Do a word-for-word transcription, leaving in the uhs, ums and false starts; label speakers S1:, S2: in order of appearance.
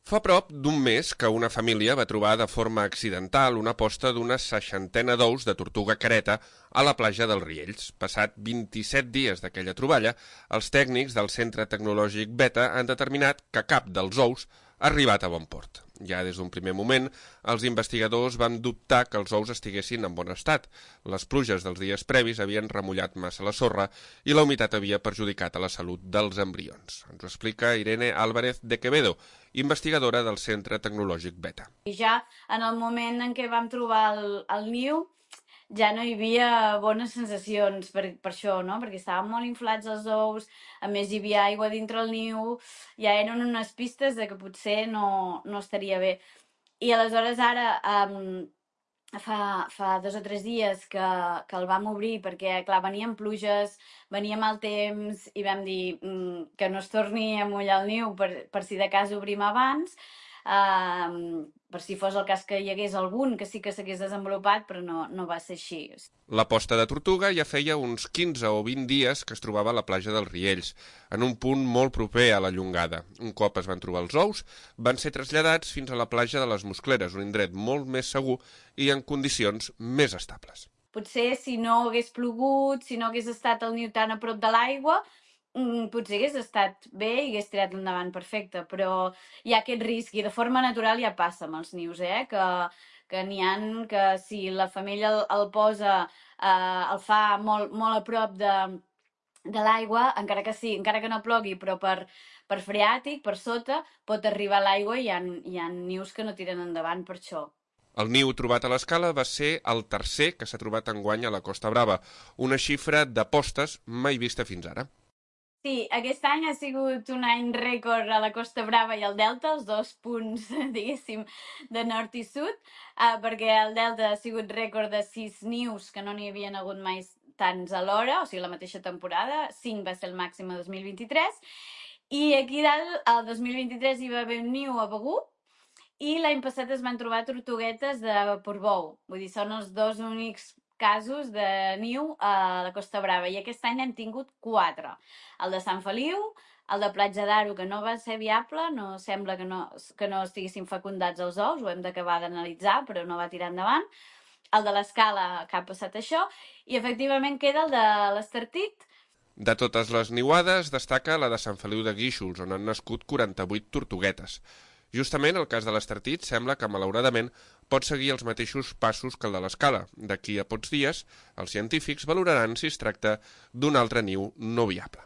S1: Fa prop d'un mes que una família va trobar de forma accidental una posta d'una seixantena d'ous de tortuga careta a la platja dels Riells. Passat vint-i-set dies d'aquella troballa, els tècnics del Centre Tecnològic Beta han determinat que cap dels ous ha arribat a bon port. Ja des d'un primer moment, els investigadors van dubtar que els ous estiguessin en bon estat. Les pluges dels dies previs havien remullat massa la sorra i la humitat havia perjudicat a la salut dels embrions. Ens ho explica Irene Álvarez de Quevedo, investigadora del Centre Tecnològic Beta.
S2: I ja en el moment en què vam trobar el, el niu, ja no hi havia bones sensacions per, per això, no? Perquè estaven molt inflats els ous, a més hi havia aigua dintre el niu, ja eren unes pistes de que potser no, no estaria bé. I aleshores ara, um, fa, fa dos o tres dies que, que el vam obrir, perquè clar, venien pluges, venia mal temps, i vam dir mm, que no es torni a mullar el niu per, per si de cas obrim abans, um, per si fos el cas que hi hagués algun que sí que s'hagués desenvolupat, però no, no va ser així.
S1: La posta de tortuga ja feia uns quinze o vint dies que es trobava a la platja dels Riells, en un punt molt proper a la Llongada. Un cop es van trobar els ous, van ser traslladats fins a la platja de les Muscleres, un indret molt més segur i en condicions més estables.
S2: Potser si no hagués plogut, si no hagués estat el niu tan a prop de l'aigua, potser hagués estat bé i hagués tirat endavant perfecte, però hi ha aquest risc i de forma natural ja passa amb els nius, eh? que, que n'hi ha que si la femella el, el posa, eh, el fa molt, molt a prop de, de l'aigua, encara que sí, encara que no plogui, però per, per freàtic, per sota, pot arribar a l'aigua i hi ha, hi ha nius que no tiren endavant per això.
S1: El niu trobat a l'escala va ser el tercer que s'ha trobat enguany a la Costa Brava, una xifra de postes mai vista fins ara.
S2: Sí, aquest any ha sigut un any rècord a la Costa Brava i al Delta, els dos punts, diguéssim, de nord i sud, eh, perquè el Delta ha sigut rècord de sis nius, que no n'hi havien hagut mai tants alhora, o sigui, la mateixa temporada, cinc va ser el màxim a dos mil vint-i-tres, i aquí dalt, el dos mil vint-i-tres hi va haver un niu a Begur, i l'any passat es van trobar tortuguetes de Portbou, vull dir, són els dos únics casos de niu a la Costa Brava, i aquest any n'hem tingut quatre. El de Sant Feliu, el de Platja d'Aro, que no va ser viable, no sembla que no, que no estiguessin fecundats els ous, ho hem d'acabar d'analitzar, però no va tirar endavant. El de l'Escala, que ha passat això, i efectivament queda el de l'Estartit.
S1: De totes les niuades destaca la de Sant Feliu de Guíxols, on han nascut quaranta-vuit tortuguetes. Justament el cas de l'Estartit sembla que, malauradament, pot seguir els mateixos passos que el de l'Escala. D'aquí a pocs dies, els científics valoraran si es tracta d'un altre niu no viable.